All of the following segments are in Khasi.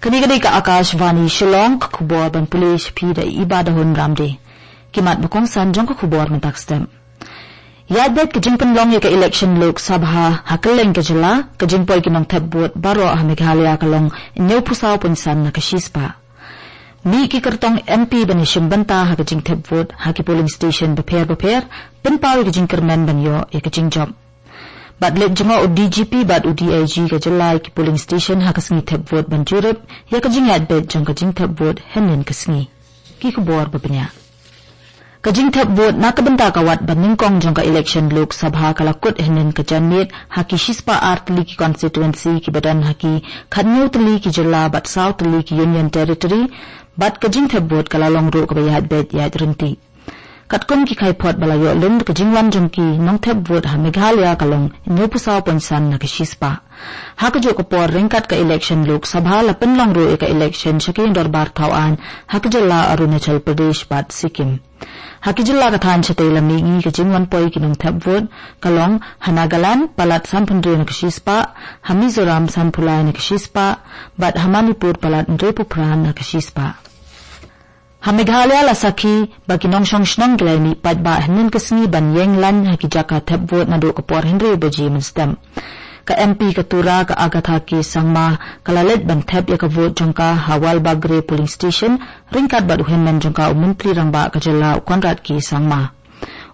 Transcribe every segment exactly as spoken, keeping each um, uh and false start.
Kane ka dei ka Akashvani Shillong, ka khubor ban pule sha phi da i Iba Dahun Ramde. Ki mat ba kongsan jong ka khubor mynta ka step. Ïaid beit ka jingpynlong ïa ka election Lok Sabha ha kylleng ka jylla, ka jingpoi ki nongthep vote baroh ha Meghalaya ka long hynñiewphew saw point san na ka shispah. Mih ki kyrtong M P ban ïashim bynta ha ka jingthep vote ha ki polling station bapher bapher, pynpaw ïa ka jingkyrmen ban ïoh ïa ka jingjop. Bad leit jngoh u D G P bad u D I G ka jylla ïa ki polling station ha ka sngi thep vote ban jurip ïa ka jingïaid beit jong ka jingthep vote hynnin ka sngi. Ki khubor ba bniah. Ka jingthep vote na ka bynta ka wat ba nyngkong jong ka election Lok Sabha ka la kut hynnin ka janmiet ha ki shispah ar tylli ki constituency ki ba don ha ki khathynñiew tylli ki jylla bad saw tylli ki Union Territory, bad ka jingthep vote ka la long ruh kaba ïaid beit ïaid ryntih. Katkum ki khaiphot ba la ïoh lum, ka jingwan jong ki nongthep vote ha Meghalaya ka long hynñiewphew saw point san na ka shispah. Ha kajuh ka por ryngkat ka election Lok Sabha la pynlong ruh ïa ka election sha ki ïing dorbar thaw aiñ ha ka jylla Arunachal Pradesh bad Sikkim. Ha ki jylla ka thaiñ shatei lam mihngi ka jingwan poi ki nongthep vote ka long ha Nagaland palat sanphew hynriew na ka shispah, ha Mizoram sanphew lai na ka shispah, bad ha Manipur palat hynriewphew phra na ka shispah. Ha Meghalaya la sakhi ba ki nongshong shnong ki la ïa mih paidbah hynnin ka sngi ban ïeng lain ha ki jaka thep vote naduh ka por hynriew baje mynstep. Ka M P ka Tura ka Agatha K Sangma ka la leit ban thep ïa ka vote jong ka ha Walbagre polling station ryngkat bad u hynmen jong ka u Myntri Rangbah ka jylla u Conrad K Sangma.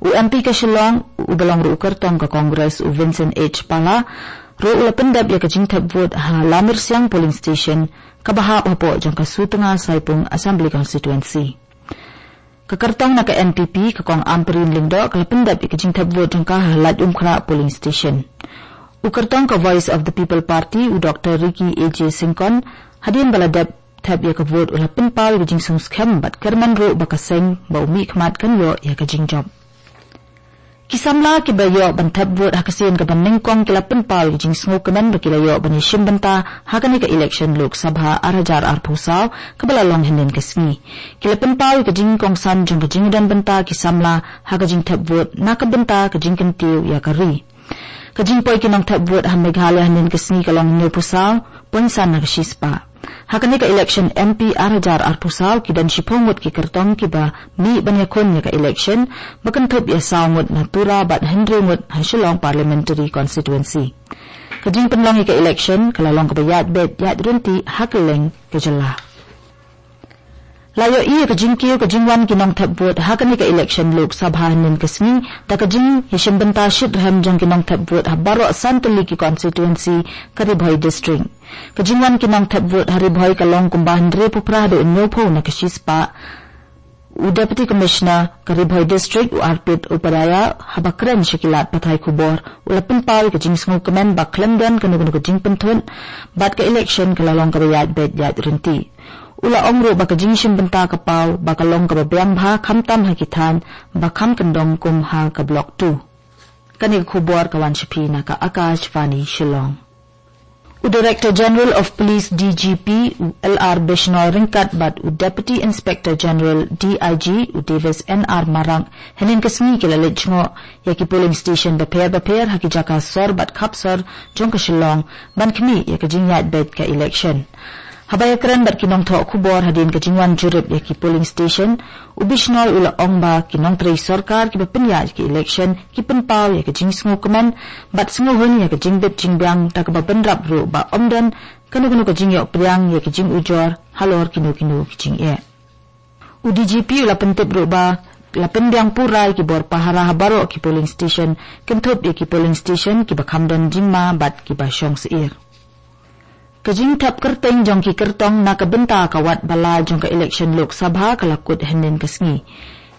U M P ka Shillong, u ba long ruh u kyrtong ka Congress, u Vincent H Pala, ruh u la pyndep ïa ka jingthep vote ha Lamirsiang polling station, kaba hap hapoh jong ka Sutnga Saipung Assembly Constituency. Ka kyrtong na ka N P P, ka Kong Ampareen Lyngdoh, ka la pyndep ïa ka jingthep vote jong ka ha Laitumkhrah polling station. U kyrtong ka Voice of the People Party, u Doctor Ricky A J Syngkon, hadien ba la dep thep ïa ka vote u la pynpaw ïa ka jingsngewskhem bad kyrmen ruh ba ka seng ba u mihkhmat kan ïoh ïa ka jingjop. Ki samla kiba ïoh ban thep vote ha ka sien kaba nyngkong ki la pynpaw ïa ka jingsngewkmen ba ki la ïoh ban ïashim bynta ha kane ka election Lok Sabha ar hajar arphew saw kaba la long hynnin ka sngi. Ki la pynpaw ïa ka jingkongsan jong ka jingdon bynta ki samla ha ka jingthep vote na ka bynta ka jingkyntiew ïa ka ri. Ka jingpoi ki nongthep vote ha Meghalaya hynnin ka sngi ka long hynñiewphew saw point san na ka shispah. Ha kane ka election M P ar hajar arphew saw ki don shiphew ngut ki kyrtong kiba mih ban ïakhun ïa ka election, ba kynthup ïa saw ngut na Tura bad hynriew ngut ha Shillong Parliamentary Constituency. Ka jingpynlong ïa ka election ka la long kaba ïaid beit ïaid ryntih ha kylleng ka jylla. La ïohi ïa ka jingkiew ka jingwan ki nongthep vote ha kane ka election Lok Sabha hynnin ka sngi da ka jingïashim bynta shitrhem jong ki nongthep vote ha baroh san tylli ki constituency ka Ri Bhoi District. Ka jingwan ki nongthep vote ha Ri Bhoi ka long kumba hynriewphew phra haduh hynñiewphew na ka shispah. U Deputy Commissioner ka Ri Bhoi District, u Arpit Upadhyaya, haba kren sha ki lad pathai khubor, u la pynpaw ïa ka jingsngewkmen ba khlem don kano kano ka jingpynthut bad ka election ka la long kaba ïaid beit ïaid ryntih. U la ong ruh ba ka jingshim bynta ka paw ba ka long kaba biang bha khamtam ha ki thaiñ ba kham kyndong kum ha ka Block two. Kane ka khubor ka wan sha phi na ka Akashvani Shillong. U Director General of Police, D G P, u L R Bishnoi ryngkat bad u Deputy Inspector General, D I G, u Davis N R Marak, hynnin ka sngi ki la leit jngoh ïa ki polling station bapher bapher ha ki jaka sor bad khap sor jong ka Shillong ban khmih ïa ka jingïaid beit ka election. Haba ïakren bad ki nongthoh khubor hadien ka jingwan jurip ïa ki polling station, u Bishnoi u la ong ba ki nongtrei sorkar kiba pynïaid ïa ki election ki pynpaw ïa ka jingsngewkmen bad sngewhun ïa ka jingbit jingbiang da kaba bynrap ruh ba ym don kano kano ka jingïoh pdiang ïa ki jingujor halor kino kino ki jingeh. U D G P u la pyntip ruh ba la pynbiang pura ïa ki bor pahara ha baroh ki polling station, kynthup ïa ki polling station kiba kham don jingma bad kiba shong syier. Ka jingthep kyrteng jong ki kyrtong na ka bynta ka wad ba lai jong ka election Lok Sabha ka la kut hynnin ka sngi.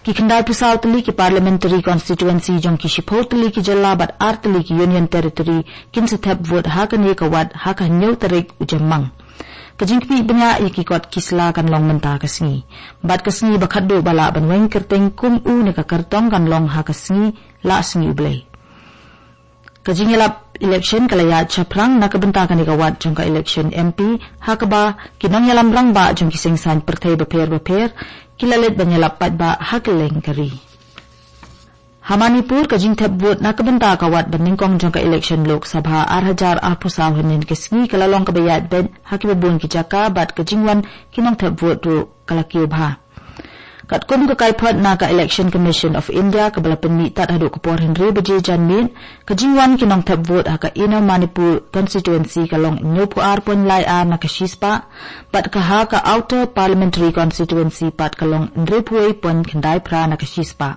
Ki khyndaiphew saw tylli ki parliamentary constituency jong ki shiphew tylli ki jylla bad ar tylli ki Union Territory kin sa thep vote ha kane ka wad ha ka hynñiew tarik u Jymmang. Ka jingkhmih bniah ïa ki kot ki sla kan long mynta ka sngi. Bad ka sngi ba khatduh ba lah ban weng kyrteng kum u ne ka kyrtong kan long ha ka sngi Lahsngi U Blei. Ka jingïalap election ka la ïaid shaphrang na ka bynta kane ka wad jong ka election M P, ha kaba ki nongïalam rangbah jong ki seng saiñ pyrthei bapher bapher ki la leit ban ïalap paidbah ha kylleng ka ri. Ha Manipur, ka jingthep vote na ka bynta ka wat ba nyngkong jong ka election Lok Sabha ar hajar arphew saw hynnin ka sngi ka la long kaba ïaid beit ha kiba bun ki jaka bad ka jingwan ki nongthep vote ruh ka la kiew bha. Katkum ka kaiphod na ka Election Commission of India kaba la pynmih tad haduh ka por hynriew baje janmiet, ka jingwan ki nongthep vote ha ka Inner Manipur constituency ka long hynñiewphew ar point lai ar na ka shispah, bad ka ha ka Outer Parliamentary Constituency pat ka long hynriewphew wei point khyndai phra na ka shispah.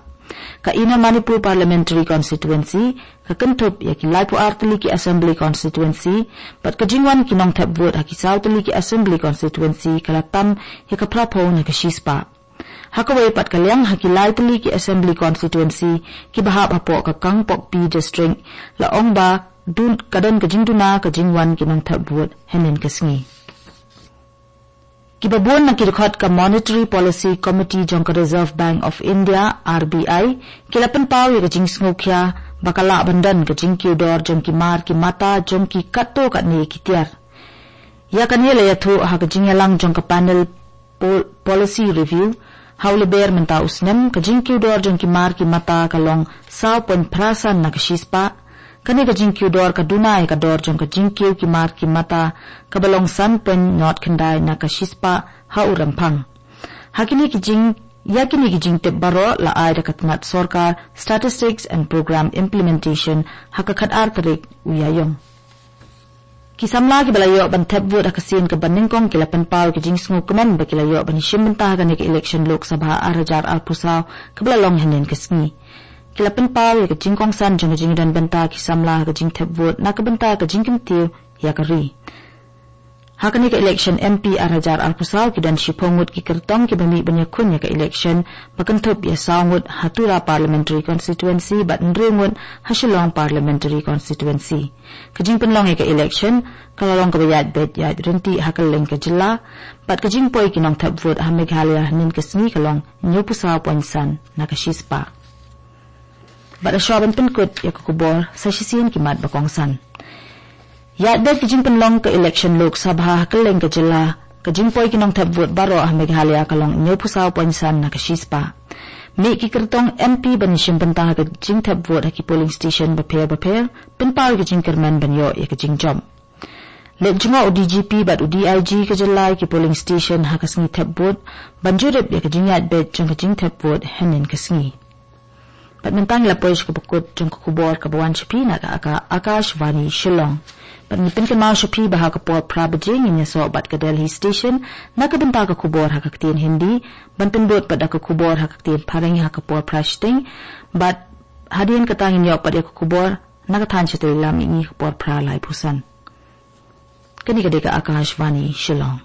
Ka Inner Manipur Parliamentary Constituency ka kynthup ïa ki laiphew ar tylli ki Assembly Constituency, bad ka jingwan ki nongthep vote ha ki saw tylli ki Assembly Constituency ka la tam ïa ka phraphew na ka shispah. Ha kawei pat ka liang, ha ki lai tylli ki Assembly Constituency kiba hap hapoh ka Kangpokpi District, la ong ba dun, ka don ka jingduna ka jingwan ki nongthep vote hynnin ka sngi. Kiba bun na ki dkhot ka Monetary Policy Committee jong ka Reserve Bank of India, R B I, ki la pynpaw ïa ka jingsngewkhia ba ka lah ban don ka jingkiew dor jong ki mar ki mata jong ki katto katne ki tiar. Ïa kane la ïathuh ha ka jingïalang jong ka Panel Pol-, Policy Review ha u Lber mynta u snem. Ka jingkiew dor jong ki mar ki mata ka long saw point phra san na ka shispah. Kane ka jingkiew dor ka duna ïa ka dor jong ka jingkiew ki mar ki mata kaba long san point nod khyndai na ka shispah ha u Rymphang. Ha kine ki jing, ïa kine ki jingtip baroh la ai da ka tnat sorkar Statistics and Program Implementation ha ka khatar tarik u Ïaïong. Ki samla kiba la ïoh ban thep vote ha ka sien kaba nyngkong ki la pynpaw ki jingsngewkmen ba ki la ïoh ban ïashim bynta ha kane ka election Lok Sabha ar hajar arphew saw kaba la long hynnin ka sngi. Ki la pynpaw ïa ka jingkongsan jong ka jingdon bynta ki samla ha ka jingthep vote na ka bynta ka jingkyntiew ïa ka ri. Ha kane ka election M P ar hajar arphew saw ki don shiphew ngut ki kyrtong kiba mih ban ïakhun ïa ka election ba kynthup ïa saw ngut ha Tura Parliamentary Constituency bad hynriew ngut ha Shillong Parliamentary Constituency. Ka jingpynlong ïa ka election ka la long kaba ïaid beit ïaid ryntih ha kylleng ka jylla, bad ka jingpoi ki nongthep vote ha Meghalaya hynnin ka sngi ka long hynñiewphew saw point san na ka shispah. Bad ha shuwa ban pynkut ïa ka khubor, sa shisien ki mat ba kongsan. Ïaid beit ka jingpynlong ka election Lok Sabha ha kylleng ka jylla, ka jingpoi ki nongthep vote baroh ha Meghalaya ka long hynñiewphew saw point san na ka shispah. Mih ki kyrtong M P ban ïashim bynta ha ka jingthep vote ha ki polling station bapher bapher, pynpaw ïa ka jingkyrmen ban ïoh ïa ka jingjop. Leit jngoh u D G P bad u D I G ka jylla ïa ki polling station ha ka sngi thep vote, ban jurip ïa ka jingïaid beit jong ka jingthep vote hynnin ka sngi. Bad mynta ngi la poi sha kaba kut jong ka khubor kaba wan sha phi na ka Aka-, Akashvani Shillong. Bad ngi pynkynmaw sha phi ba ha ka por phra baje ngin ïasoh bad ka Delhi Station na ka bynta ka khubor ha ka ktien Hindi, ban pynbud bad da ka khubor ha ka ktien Phareng ha ka por phra shiteng, bad hadien kata ngin ïoh pat ïa ka khubor na ka thaiñ shatei lam mihngi ka por phra laiphew san. Kane ka dei ka Akashvani Shillong.